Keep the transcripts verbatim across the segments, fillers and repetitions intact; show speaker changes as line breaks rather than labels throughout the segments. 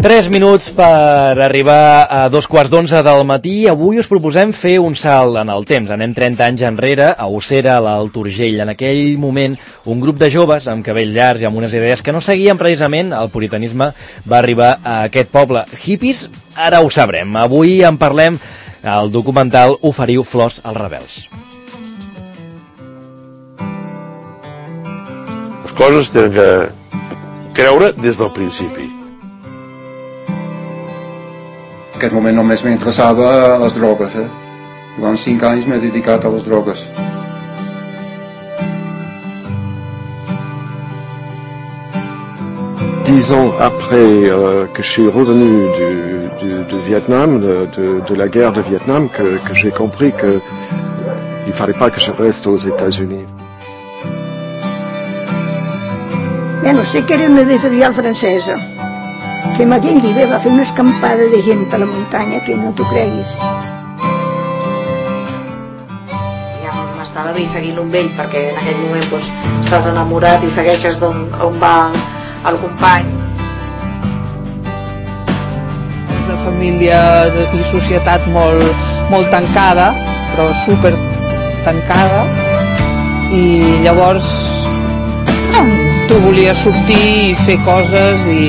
Tres minuts per arribar a dos quarts d'onze del matí. Avui us proposem fer un salt en el temps. Anem trenta anys enrere, a Ossera, a l'Alt Urgell. En aquell moment, un grup de joves amb cabell llarg i amb unes idees que no seguien precisament el puritanisme va arribar a aquest poble. Hippies, ara ho sabrem. Avui en parlem al documental Oferiu flors als rebels.
Les coses tenen que creure des del principi.
En aquest moment només m'interessava les drogues. Eh? Durant cinc anys m'he dedicat a les drogues.
Dix ans après euh, que je suis revenu du, du, du Vietnam, de, de, de la guerre de Vietnam, que, que j'ai compris qu'il ne fallait pas que je reste aux États-Unis.
Bueno, sé que era una editorial francesa, que en aquell llibre va fer una escampada de gent a la muntanya que no t'ho creguis.
Ja m'estava bé seguint-lo amb ell, perquè en aquell moment doncs, estàs enamorat i segueixes d'on on va el company.
Una família i societat molt, molt tancada, però super tancada, i llavors no, tu volies sortir i fer coses i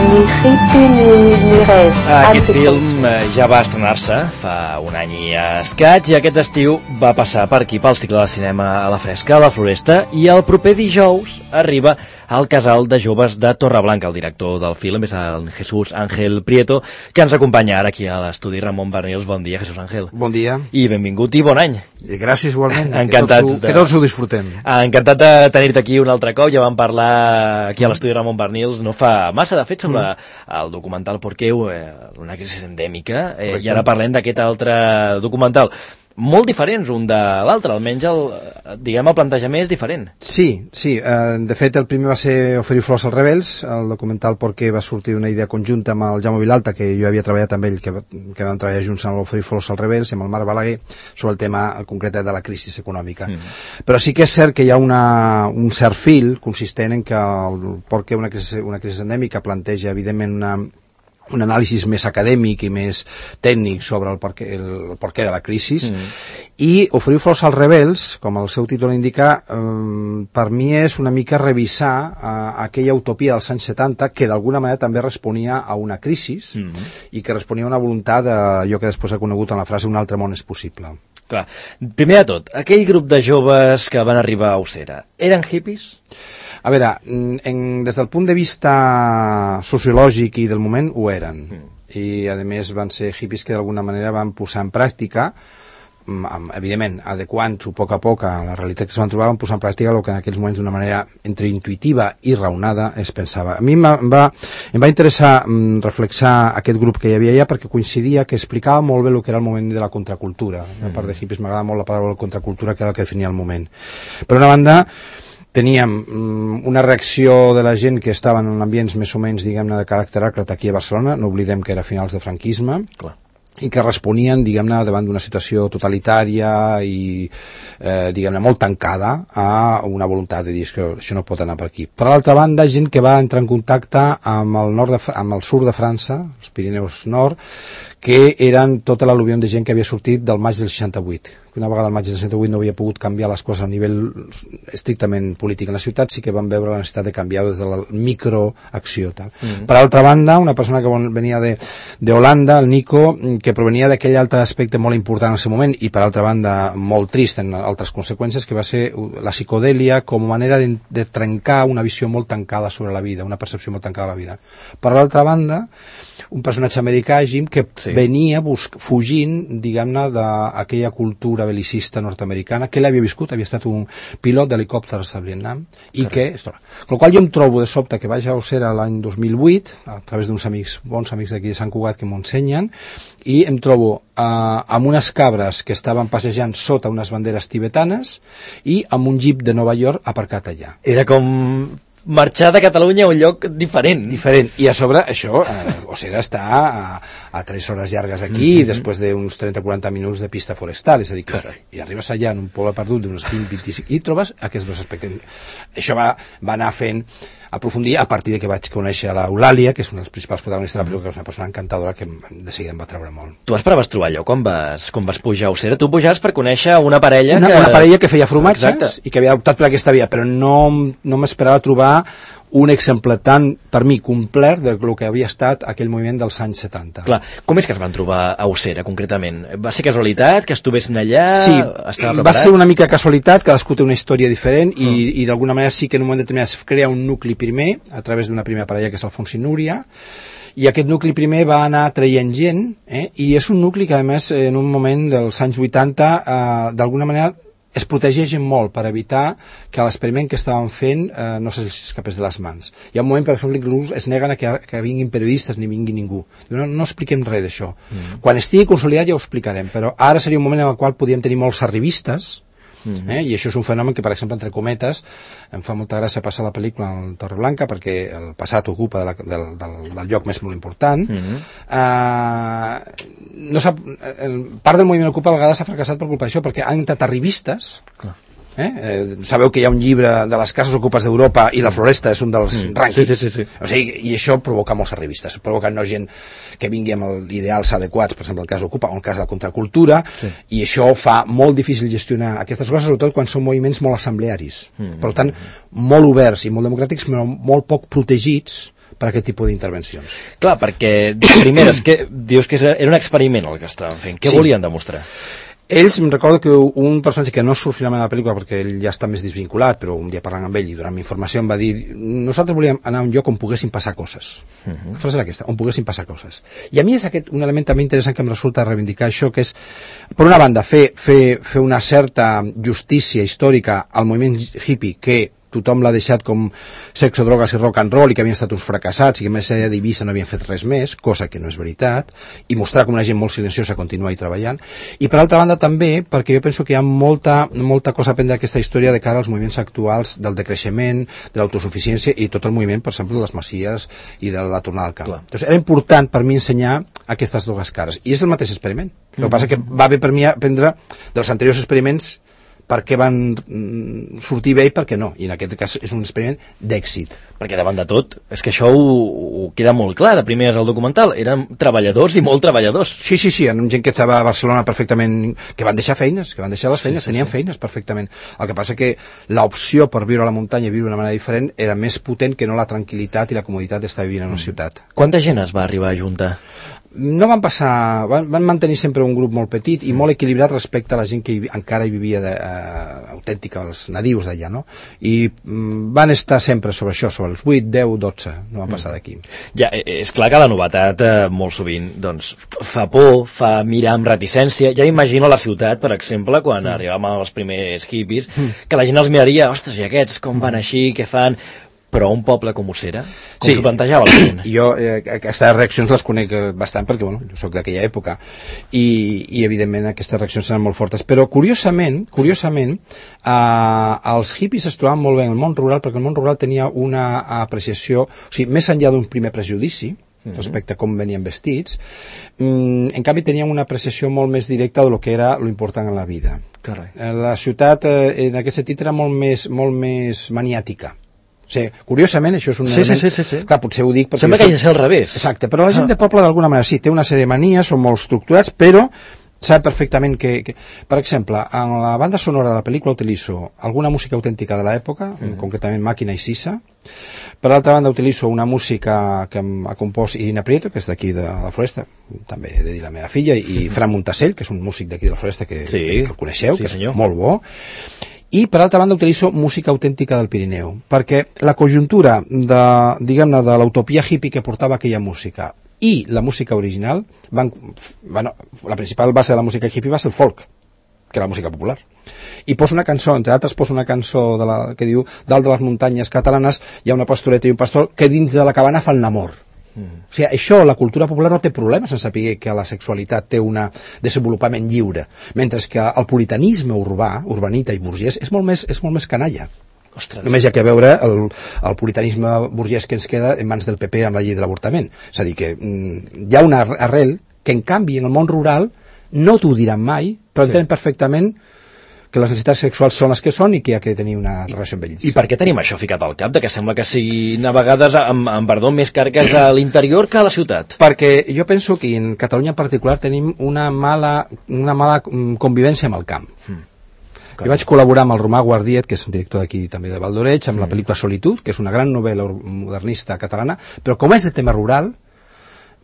ni hippie ni, ni res.
Aquest film ja va estrenar-se fa un any i escaig i aquest estiu va passar per aquí pel cicle de cinema a la Fresca, a la Floresta, i el proper dijous arriba al Casal de Joves de Torreblanca. El director del film és el Jesús Ángel Prieto, que ens acompanya ara aquí a l'estudi. Ramon Barnils, bon dia, Jesús Ángel.
Bon dia.
I benvingut i bon any.
I gràcies igualment,
Encantats
que, tots ho, de... que tots ho disfrutem.
Encantat de tenir-te aquí un altre cop. Ja vam parlar aquí a l'estudi Ramon Barnils no fa massa, de fet, sobre mm. el documental Porqueu, eh, una crisi endèmica, eh, i ara parlem d'aquest altre documental. Molt diferents un de l'altre, almenys el, diguem, el plantejament és diferent.
Sí, sí, eh, de fet el primer va ser Oferiu flors als rebels, el documental Porqué va sortir d'una idea conjunta amb el Jaume Vilalta, que jo havia treballat amb ell, que, que vam treballar junts amb l'Oferiu flors als rebels i amb el Marc Balaguer sobre el tema concret de la crisi econòmica. Mm. Però sí que és cert que hi ha una, un cert fil consistent en que el Porqué, una crisi, una crisi endèmica, planteja evidentment una un anàlisi més acadèmic i més tècnic sobre el porquè, el porquè de la crisi, mm. i Oferiu flors als rebels, com el seu títol indica, eh, per mi és una mica revisar eh, aquella utopia dels anys setanta que d'alguna manera també responia a una crisi mm. i que responia a una voluntat d'allò que després ha conegut en la frase un altre món és possible.
Clar. Primer de tot, aquell grup de joves que van arribar a Ossera, eren hippies?
A veure, en, des del punt de vista sociològic i del moment ho eren, mm. i a més van ser hippies que d'alguna manera van posar en pràctica, evidentment adequant-ho a poc a poc a la realitat que es van trobar, van posar en pràctica el que en aquells moments d'una manera entre intuitiva i raonada es pensava. A mi em va, em va interessar mm, reflexar aquest grup que hi havia allà perquè coincidia que explicava molt bé el que era el moment de la contracultura. Mm. A part de hippies m'agrada molt la paraula contracultura, que era el que definia el moment. Per una banda, teníem mm, una reacció de la gent que estaven en ambients més o menys, diguem-ne, de caràcter àcrata aquí a Barcelona, no oblidem que era a finals de franquisme, clar, i que responien, diguem-ne, davant d'una situació totalitària i, eh, diguem-ne, molt tancada a una voluntat de dir que això no pot anar per aquí. Per l'altra banda, gent que va entrar en contacte amb el, nord de, amb el sud de França, els Pirineus Nord, que eren tota l'al·luvió de gent que havia sortit del maig del seixanta-vuit. Una vegada el maig del seixanta-vuit no havia pogut canviar les coses a nivell estrictament polític en la ciutat, sí que van veure la necessitat de canviar des de la microacció. Tal. Mm-hmm. Per altra banda, una persona que venia de, de Holanda, el Nico, que provenia d'aquell altre aspecte molt important en el seu moment i per altra banda molt trist en altres conseqüències, que va ser la psicodèlia com a manera de, de trencar una visió molt tancada sobre la vida, una percepció molt tancada de la vida. Per l'altra banda, un personatge americà, Jim, que sí. venia busc, fugint, diguem-ne, d'aquella cultura belicista nord-americana que ell havia viscut, havia estat un pilot d'helicòpters a Vietnam, i que, amb el qual jo em trobo de sobte que vaig a Ossera l'any dos mil vuit, a través d'uns amics, bons amics d'aquí de Sant Cugat que m'ho ensenyen, i em trobo eh, amb unes cabres que estaven passejant sota unes banderes tibetanes i amb un jeep de Nova York aparcat allà.
Era com marxar de Catalunya a un lloc diferent.
Diferent. I a sobre, això, eh, Ossera està a, a tres hores llargues d'aquí, mm -hmm. després d'uns trenta a quaranta minuts de pista forestal, és a dir, que, i arribes allà en un poble perdut d'uns vint a vint-i-cinc, i trobes aquests dos aspectes. Això va, va anar fent aprofundir a partir de que vaig conèixer l'Eulàlia, que és una dels principals protagonistes de la pel·lícula, que és una persona encantadora que de seguida em va treure molt.
Tu esperaves trobar allò quan vas, quan vas pujar a Ossera? Tu pujaves per conèixer una parella
una,
que...
Una parella que feia formatges.
Exacte.
I que havia optat per aquesta via, però no, no m'esperava trobar un exemple tan, per mi, complet del que havia estat aquell moviment dels anys setanta.
Clar, com és que es van trobar a Ossera, concretament? Va ser casualitat, que estuvessin allà?
Sí,
estava preparat?
Va ser una mica casualitat, cadascú té una història diferent i, mm. i d'alguna manera sí que en un moment determinat es crea un nucli primer, a través d'una primera parella que és Alfons i Núria, i aquest nucli primer va anar traient gent, eh? I és un nucli que a més en un moment dels anys vuitanta eh, d'alguna manera es protegeixen molt per evitar que l'experiment que estaven fent eh, no s'escapés de les mans. Hi ha un moment, per exemple, que es neguen a que, que vinguin periodistes ni vingui ningú. No, no expliquem res d'això. Mm. Quan estigui consolidat ja ho explicarem, però ara seria un moment en el qual podíem tenir molts arribistes, mm. eh? I això és un fenomen que, per exemple, entre cometes, em fa molta gràcia passar la pel·lícula en Torreblanca perquè el passat ocupa de la, del, del, del lloc més molt important. Mm. Eh, no sap, part del moviment Ocupa a vegades s'ha fracassat per culpa d'això, perquè han entrat arribistes. Clar. Eh? Eh, sabeu que hi ha un llibre de les cases ocupes d'Europa i la Floresta és un dels mm. rànquings,
sí, sí, sí, sí.
O sigui, i això provoca molts arribistes, provoca no gent que vingui amb els ideals adequats, per exemple el cas Ocupa o el cas de la contracultura, sí. I això fa molt difícil gestionar aquestes coses, sobretot quan són moviments molt assemblearis, mm. per tant molt oberts i molt democràtics, però molt poc protegits per aquest tipus d'intervencions.
Clar, perquè primer és que dius que era un experiment el que estaven fent. Què sí. volien demostrar?
Ells, em recordo que un personatge que no surt finalment a la pel·lícula perquè ell ja està més desvinculat, però un dia parlant amb ell i donant-me informació em va dir nosaltres volíem anar a un lloc on poguessin passar coses. Uh-huh. La frase era aquesta, on poguessin passar coses. I a mi és aquest un element també interessant que em resulta reivindicar això, que és, per una banda, fer, fer, fer una certa justícia històrica al moviment hippie que tothom l'ha deixat com sexo, drogues i rock and roll i que havien estat uns fracassats i que més allà d'Eivissa no havien fet res més, cosa que no és veritat, i mostrar com una gent molt silenciosa continua hi treballant. I per altra banda també perquè jo penso que hi ha molta, molta cosa a aprendre d'aquesta història de cara als moviments actuals del decreixement, de l'autosuficiència i tot el moviment, per exemple, de les masies i de la tornada al camp. Clar. Llavors era important per mi ensenyar aquestes dues cares. I és el mateix experiment. El que passa que va bé per mi aprendre dels anteriors experiments per què van sortir bé i per què no, i en aquest cas és un experiment d'èxit.
Perquè davant de tot, és que això ho, ho queda molt clar, de primer és el documental, eren treballadors i molt treballadors.
Sí, sí, sí, en gent que estava a Barcelona perfectament, que van deixar feines, que van deixar les feines, sí, sí, tenien sí. feines perfectament. El que passa que l'opció per viure a la muntanya i viure d'una manera diferent era més potent que no la tranquil·litat i la comoditat d'estar vivint en una ciutat.
Quanta gent es va arribar a juntar?
No van passar, van, van mantenir sempre un grup molt petit i molt equilibrat respecte a la gent que hi, encara hi vivia de, uh, autèntica, els nadius d'allà, no? I mm, van estar sempre sobre això, sobre els vuit, deu, dotze, no van passar d'aquí.
Ja, és clar que la novetat eh, molt sovint doncs, fa por, fa mirar amb reticència. Ja imagino la ciutat, per exemple, quan mm. arribàvem als primers hippies, mm. que la gent els miraria, ostres, i aquests com van així, què fan... Però un poble com Ossera, com
sí,
s'ho plantejava la gent?
Jo eh, aquestes reaccions les conec bastant perquè bueno, jo soc d'aquella època i, i evidentment aquestes reaccions seran molt fortes, però curiosament curiosament eh, els hippies es trobaven molt bé en el món rural perquè el món rural tenia una apreciació, o sigui, més enllà d'un primer prejudici respecte a com venien vestits, mm, en canvi teníem una apreciació molt més directa de lo que era lo important en la vida.
Carai.
La ciutat eh, en aquest sentit era molt més, molt més maniàtica. O sigui, curiosament, això és un
sí,
element...
Sí, sí, sí.
Clar, potser ho dic...
Sembla que hagi de ser al revés.
Exacte, però la gent ah. de poble d'alguna manera sí, té una sèrie de manies, són molt estructurats, però sap perfectament que, que... Per exemple, en la banda sonora de la pel·lícula utilitzo alguna música autèntica de l'època, mm. concretament Màquina i Sisa. Per l'altra banda utilitzo una música que ha compost Irina Prieto, que és d'aquí de la Floresta, també he de dir la meva filla, i Fran Montassell, que és un músic d'aquí de la Floresta que, sí. que el coneixeu, sí, que és senyor. Molt bo. I per altra banda utilitzo música autèntica del Pirineu, perquè la conjuntura de, diguem-ne, de l'utopia hippie que portava aquella música i la música original van, bueno, la principal base de la música hippie va ser el folk, que era la música popular. I poso una cançó, entre altres poso una cançó de la, que diu dalt de les muntanyes catalanes hi ha una pastoreta i un pastor que dins de la cabana fan l'amor. Mm. O sigui, això, la cultura popular no té problemes en saber que la sexualitat té un desenvolupament lliure, mentre que el puritanisme urbà, urbanita i burgès, és molt més, és molt més canalla.
Ostres.
Només hi ha que veure el, el puritanisme burgès que ens queda en mans del P P amb la llei de l'avortament. És a dir, que mm, hi ha una arrel que, en canvi, en el món rural no t'ho diran mai, però entenen sí. perfectament que les necessitats sexuals són les que són i que hi ha que tenir una relació amb ells.
I per què tenim això ficat al cap, de que sembla que siguin a vegades, amb, amb perdó, més carques a l'interior que a la ciutat?
Perquè jo penso que en Catalunya en particular tenim una mala, una mala convivència amb el camp. Mm. Jo vaig col·laborar amb el Romà Guardiet, que és un director d'aquí també de Valdoreig, amb mm. la pel·lícula Solitud, que és una gran novel·la modernista catalana, però com és de tema rural,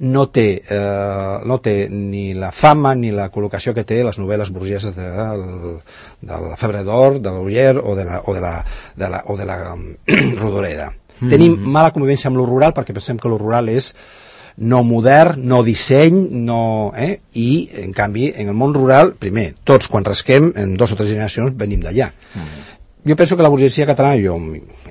no té, eh, no té ni la fama ni la col·locació que té les novel·les burgeses de, de, de la Febre d'Or, de l'Oller o de la, o de la, de la, o de la um, Rodoreda. Mm-hmm. Tenim mala convivència amb lo rural perquè pensem que lo rural és no modern, no disseny, no, eh? I, en canvi, en el món rural, primer, tots quan rasquem, en dos o tres generacions, venim d'allà. Mm-hmm. Jo penso que la burgesia catalana, jo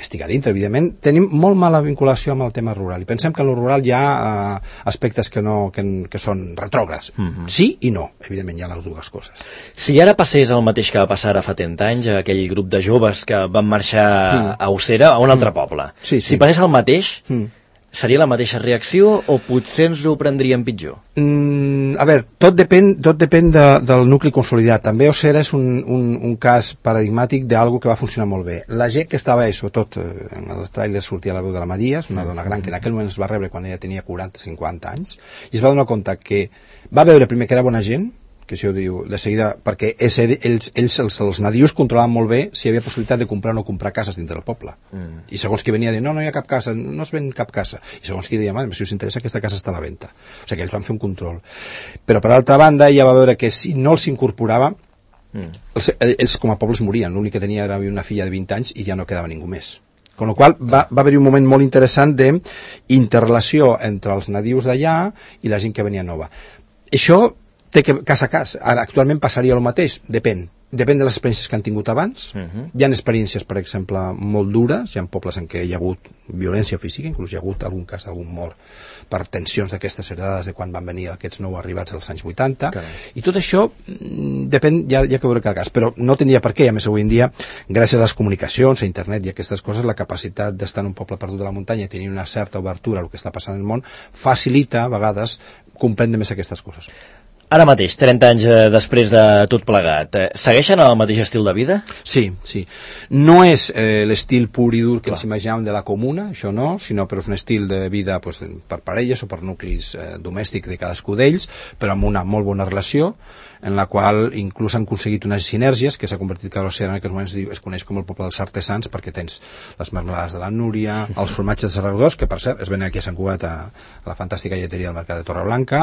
estic a dintre, evidentment, tenim molt mala vinculació amb el tema rural i pensem que en el rural hi ha uh, aspectes que, no, que, que són retrògrads. Mm-hmm. Sí i no, evidentment hi ha les dues coses.
Si ara passés el mateix que va passar ara fa trenta anys, aquell grup de joves que van marxar mm. a Ossera, a un altre mm. poble,
sí, sí.
si passés el mateix... Mm. Seria la mateixa reacció o potser ens ho prendríem pitjor?
Mm, a veure, tot depèn, tot depèn de, del nucli consolidat. També Ossera és un, un, un cas paradigmàtic d'algo que va funcionar molt bé. La gent que estava, i sobretot en el tràiler sortia la veu de la Maria, és una dona gran que en aquell moment es va rebre quan ella tenia quaranta o cinquanta anys, i es va donar compte que va veure primer que era bona gent, que això diu de seguida, perquè és, ells, ells els, els nadius controlaven molt bé si hi havia possibilitat de comprar o no comprar cases dintre del poble. Mm. I segons qui venia a dir, no, no hi ha cap casa, no es ven cap casa. I segons qui deia, si us interessa, aquesta casa està a la venda. O sigui que ells van fer un control. Però per altra banda, ella va veure que si no els incorporava, mm. els, ells com a pobles morien. L'únic que tenia era una filla de vint anys i ja no quedava ningú més. Con la qual va, va haver-hi un moment molt interessant d'interrelació entre els nadius d'allà i la gent que venia nova. Això té que cas a cas. Ara, actualment passaria el mateix, depèn. Depèn de les experiències que han tingut abans. Uh-huh. Hi ha experiències, per exemple, molt dures. Hi ha pobles en què hi ha hagut violència física, inclús hi ha hagut algun cas d'algun mort per tensions d'aquestes heredades de quan van venir aquests nou arribats als anys vuitanta. Carai. I tot això depèn, ja, ja que veure cada cas, però no tindria per què. A més, avui en dia, gràcies a les comunicacions, a internet i a aquestes coses, la capacitat d'estar en un poble perdut de la muntanya i tenir una certa obertura al que està passant en el món facilita, a vegades, comprendre més aquestes coses.
Ara mateix, trenta anys després de tot plegat, eh, segueixen el mateix estil de vida?
Sí, sí. No és eh, l'estil pur i dur que ens imaginàvem de la comuna, això no, sinó però és un estil de vida pues, per parelles o per nuclis eh, domèstics de cadascú d'ells, però amb una molt bona relació, en la qual inclús han aconseguit unes sinergies que s'ha convertit que a l'Oceà en aquests moments es coneix com el poble dels artesans perquè tens les marmelades de la Núria, els formatges de Saragossa, que per cert es venen aquí a Sant Cugat a, a la fantàstica lleteria del Mercat de Torreblanca.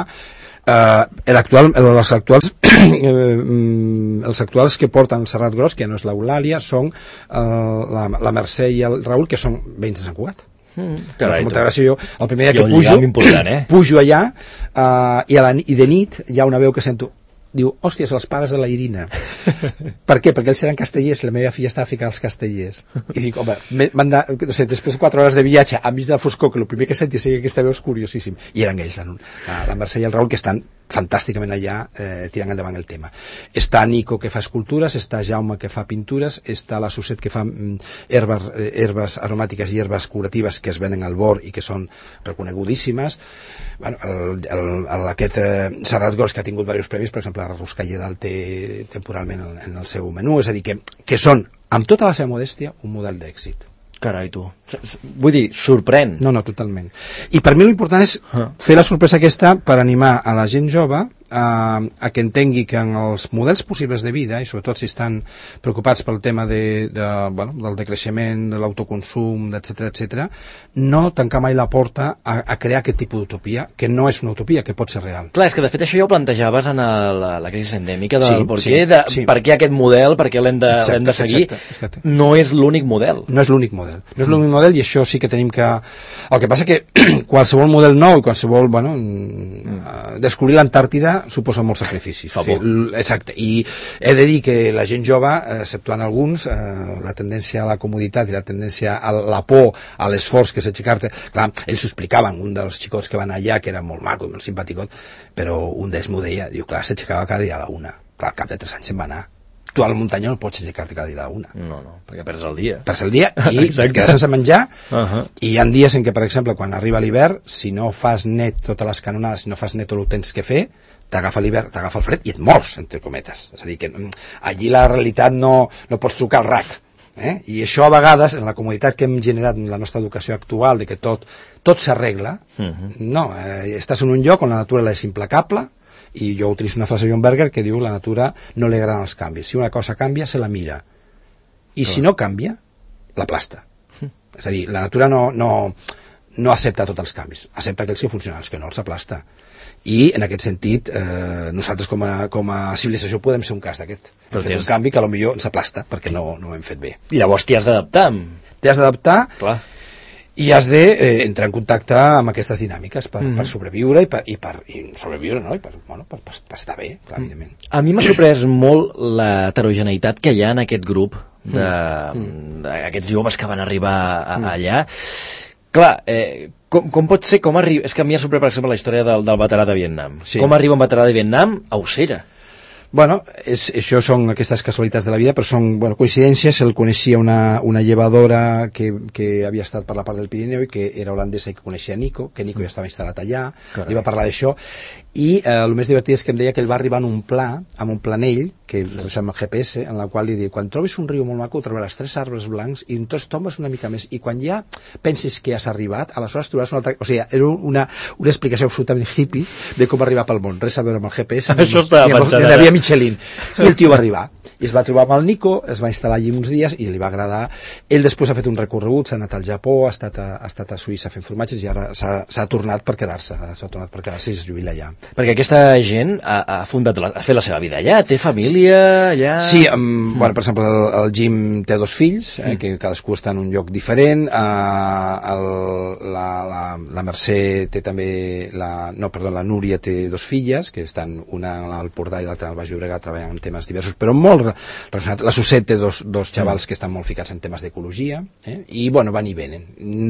Uh, l'actual, els actuals els actuals que porten el Serrat Gros, que ja no és l'Eulàlia, són uh, la, la Mercè i el Raül, que són veïns de Sant Cugat. Mm, carai, molta gràcia. Jo el primer dia que pujo, eh? pujo allà uh, i, a la, i de nit hi ha una veu que sento, diu, hòsties, els pares de la Irina. Per què? Perquè ells eren castellers, la meva filla estava ficant els castellers. I dic, home, m'han de, no sé, després de quatre hores de viatge, a mig de la foscor, que el primer que senti sigui aquesta veu és curiosíssim. I eren ells, la, la Mercè i el Raül, que estan fantàsticament allà eh, tirant endavant el tema. Està Nico, que fa escultures, està Jaume, que fa pintures, està la Suset, que fa mm, herbes, eh, herbes aromàtiques i herbes curatives que es venen al bord i que són reconegudíssimes. Bueno, el, el, el, aquest eh, Serrat Gros, que ha tingut diversos premis, per exemple, la Ruscalledal té temporalment en, en el seu menú, és a dir, que, que són, amb tota la seva modèstia, un model d'èxit.
Carai, tu. Vull dir, sorprèn.
No, no, totalment. I per mi l'important és fer la sorpresa aquesta per animar a la gent jove a, a que entengui que en els models possibles de vida, i sobretot si estan preocupats pel tema de, de, bueno, del decreixement, de l'autoconsum, etcètera, etcètera, no tancar mai la porta a, a crear aquest tipus d'utopia, que no és una utopia, que pot ser real.
Clar, és que de fet això ja ho plantejaves en el, la, la crisi endèmica del
sí,
per,
sí,
què de,
sí.
per què aquest model, per què l'hem de, l'hem de seguir,
exacte, exacte.
No és l'únic model.
No és l'únic model. No és l'únic model i això sí que tenim que... El que passa que qualsevol model nou i qualsevol, bueno, mm. descobrir l'Antàrtida suposa molts sacrificis. O sigui, exacte. I he de dir que la gent jove, exceptuant alguns, eh, la tendència a la comoditat i la tendència a la por, a l'esforç que és aixecar-te, clar, ells s'ho explicaven, un dels xicots que van allà, que era molt maco i molt simpaticot, però un d'ells m'ho deia, diu, clar, s'aixecava cada dia a la una. Clar, al cap de tres anys se'n va anar. tu a la muntanya no pots aixecar-te cada dia a la una.
No, no, perquè perds el dia.
Perds el dia i et quedes sense menjar.
Uh-huh.
I hi ha dies en què, per exemple, quan arriba l'hivern, si no fas net totes les canonades, si no fas net tot el que tens que fer, t'agafa l'hivern, t'agafa el fred i et mors, entre cometes. És a dir, que allí la realitat no, no pots trucar al rac. Eh? I això a vegades, en la comoditat que hem generat en la nostra educació actual, de que tot, tot s'arregla, uh-huh. no, eh, estàs en un lloc on la natura és implacable, i jo utilitzo una frase de John Berger que diu la natura no li agraden els canvis. Si una cosa canvia, se la mira. I oh. si no canvia, l'aplasta. Uh-huh. És a dir, la natura no, no, no accepta tots els canvis, accepta aquells que funcionen, els que no els aplasta. I en aquest sentit eh, nosaltres com a, com a civilització podem ser un cas d'aquest. Hem fet un canvi que potser ens aplasta perquè no, no ho hem fet bé.
I llavors t'hi has d'adaptar.
T'hi has d'adaptar
Clar.
I has d'entrar eh, en contacte amb aquestes dinàmiques per, mm-hmm. per sobreviure i per, i per i sobreviure, no? I per, bueno, per, per, per estar bé, clar, evidentment.
A mi m'ha sorprès molt la heterogeneïtat que hi ha en aquest grup d'aquests joves que van arribar a, mm. allà. Clar, eh, com, com pot ser, com arriba... És que a mi ha sorprès, per exemple, la història del, del veterà de Vietnam. Sí. Com arriba un veterà de Vietnam a Ossera?
Bueno, és, això són aquestes casualitats de la vida, però són bueno, coincidències. El coneixia una, una llevadora que, que havia estat per la part del Pirineu i que era holandesa i que coneixia Nico, que Nico ja estava instal·lat allà, Carai. Li va parlar d'això, i eh, el més divertit és que em deia que ell va arribar en un pla, amb un planell, que és amb el G P S, en la qual li diu, quan trobis un riu molt maco, trobaràs tres arbres blancs i entonces tombes una mica més, i quan ja pensis que has arribat, aleshores trobaràs una altra... O sigui, era una, una explicació absolutament hippie de com arribar pel món, res a veure amb el G P S,
això estava pensant ara.
Havia Michelin. I el tio va arribar i es va trobar amb el Nico, es va instal·lar allí uns dies i li va agradar. Ell després ha fet un recorregut, s'ha anat al Japó, ha estat a, ha estat a Suïssa fent formatges i ara s'ha tornat per quedar-se, s'ha tornat per quedar-se i es jubila allà.
Perquè aquesta gent ha, ha fundat la, ha fet la seva vida allà, té família allà...
Sí, um, mm. bueno, per exemple, el, el Jim té dos fills, eh, mm. que cadascú està en un lloc diferent, uh, el, la, la, la Mercè té també, la, no, perdó, la Núria té dos filles, que estan una al Portà i l'altra al Baix Llobregat treballant en temes diversos, però molt relacionat. La Susset té dos, dos xavals que estan molt ficats en temes d'ecologia, eh? I bueno, van i venen.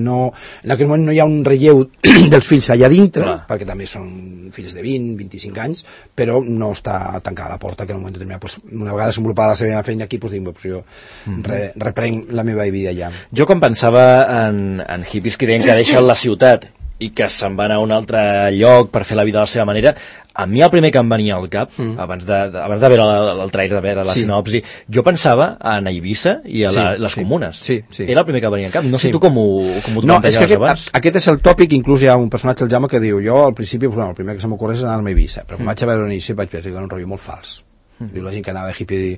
No, en aquell moment no hi ha un relleu dels fills allà dintre, Clar. Perquè també són fills de vint, vint-i-cinc anys, però no està tancada la porta, que en un moment determinat, pues, una vegada desenvolupada la seva feina aquí, pues, dic, pues, jo mm-hmm. re, reprenc la meva vida allà.
Jo quan pensava en, en hippies que deien que deixen la ciutat i que se'n van a un altre lloc per fer la vida de la seva manera, a mi el primer que em venia al cap, mm. abans de, de, abans de veure el, el trailer, de veure la sí. sinopsi, jo pensava en Eivissa i a la, sí, les
sí,
comunes.
Sí, sí.
Era el primer que venia al cap. No sé sí. tu com ho, com ho
no, és que aquest,
abans.
Aquest és el tòpic, inclús hi ha un personatge, el Jaume, que diu, jo al principi, pues, bueno, el primer que se m'ocorre és anar-me a Eivissa, però quan mm. vaig a veure l'inici vaig veure que era un rotllo molt fals. Mm. Diu la gent que anava de hippie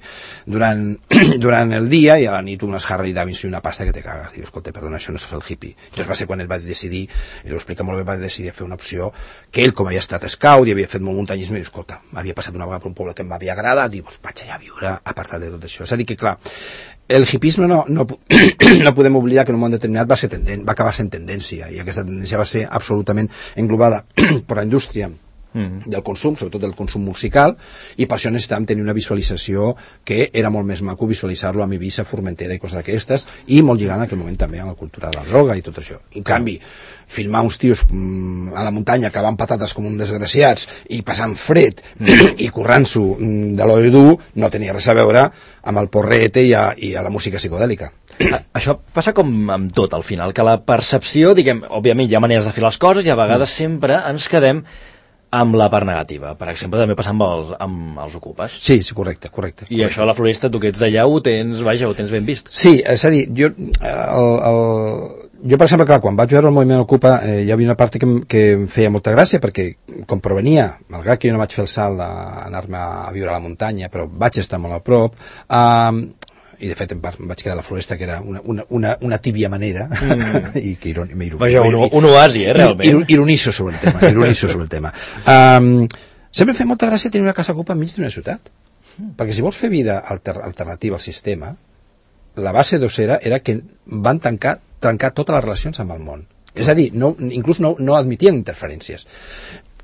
durant, durant el dia i a la nit unes Harley Davidson i una pasta que te cagues. Diu, escolta, perdona, això no és fer el hippie. Llavors va ser quan ell va decidir, i ho explica molt bé, va decidir fer una opció que ell, com havia estat scout i havia fet molt muntanyisme, diu, escolta, havia passat una vegada per un poble que m'havia agradat, diu, pues, vaig allà a viure apartat de tot això. És a dir que, clar, el hippisme no, no, no podem oblidar que en un moment determinat va, ser tenden, va acabar sent tendència, i aquesta tendència va ser absolutament englobada per la indústria Mm. del consum, sobretot del consum musical, i per això necessitàvem tenir una visualització que era molt més maco visualitzar-lo amb Eivissa, Formentera i coses d'aquestes, i molt lligant en aquell moment també a la cultura de la droga i tot això. En canvi, filmar uns tios mm, a la muntanya cavant patates com uns desgraciats i passant fred mm. i currant-s'ho mm, de l'oll dur no tenia res a veure amb el porrete i a, i a la música psicodèlica.
Això passa com amb tot al final, que la percepció, diguem, òbviament hi ha maneres de fer les coses i a vegades mm. sempre ens quedem amb la part negativa. Per exemple, també passa amb els, amb els ocupes.
Sí, sí, correcte, correcte.
I
correcte.
això a la Floresta, tu que ets d'allà, ho tens, vaja, ho tens ben vist.
Sí, és a dir, jo, el, el, jo per exemple, clar, quan vaig veure el moviment Ocupa, eh, hi havia una part que, que em feia molta gràcia, perquè com provenia, malgrat que jo no vaig fer el salt d'anar-me a viure a la muntanya, però vaig estar molt a prop, eh, i de fet em vaig quedar a la Floresta, que era una, una, una, una tíbia manera mm. i que ironi,
Vaja, un, un oasi, eh, realment.
Ir, ironizo sobre el tema, ironizo sobre el tema. Um, sempre em fa molta gràcia tenir una casa ocupa enmig d'una ciutat, mm. perquè si vols fer vida alter, alternativa al sistema, la base d'Ossera era que van tancar, trencar totes les relacions amb el món. És a dir, no, inclús no, no admitien interferències.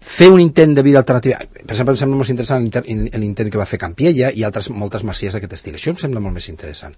Fer un intent de vida alternativa, per exemple, em sembla molt interessant l'intent que va fer Campiella i altres moltes masies d'aquest estil. Això em sembla molt més interessant.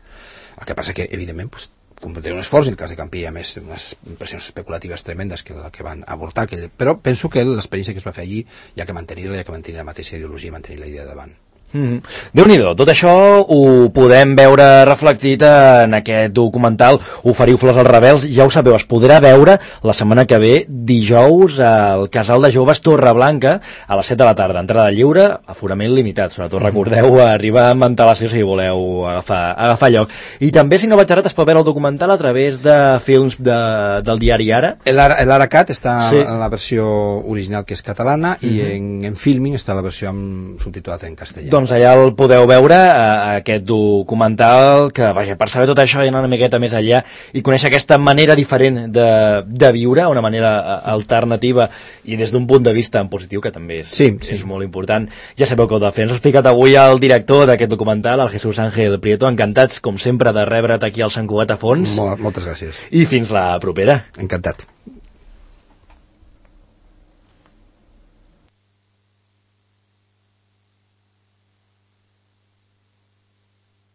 El que passa que, evidentment, pues, té un esforç, en el cas de Campiella, més unes impressions especulatives tremendes que, que van avortar, aquell, però penso que l'experiència que es va fer allí hi ha que mantenir-la, hi ha que mantenir la mateixa ideologia i mantenir la idea davant.
Mm-hmm. Déu-n'hi-do, tot això ho podem veure reflectit en aquest documental Oferiu flors als rebels. Ja ho sabeu, es podrà veure la setmana que ve, dijous, al Casal de Joves Torreblanca, a les set de la tarda. Entrada lliure, aforament limitat. Sobretot recordeu arribar amb antelació si voleu agafar, agafar lloc. I també, si no vaig errat, es pot veure el documental a través de films de, del diari Ara.
L'Aracat està
sí.
en la versió original, que és catalana, mm-hmm. i en, en Filming està la versió amb subtitulat en castellà.
Doncs allà el podeu veure, eh, aquest documental, que vaja, per saber tot això i anar una miqueta més enllà i conèixer aquesta manera diferent de, de viure, una manera alternativa i des d'un punt de vista en positiu, que també és,
sí, sí.
és molt important. Ja sabeu que ho de fer. Ens ha explicat avui el director d'aquest documental, el Jesús Ángel Prieto. Encantats, com sempre, de rebre't aquí al Sant Cugat a Fons.
Molt, moltes gràcies.
I fins la propera.
Encantat.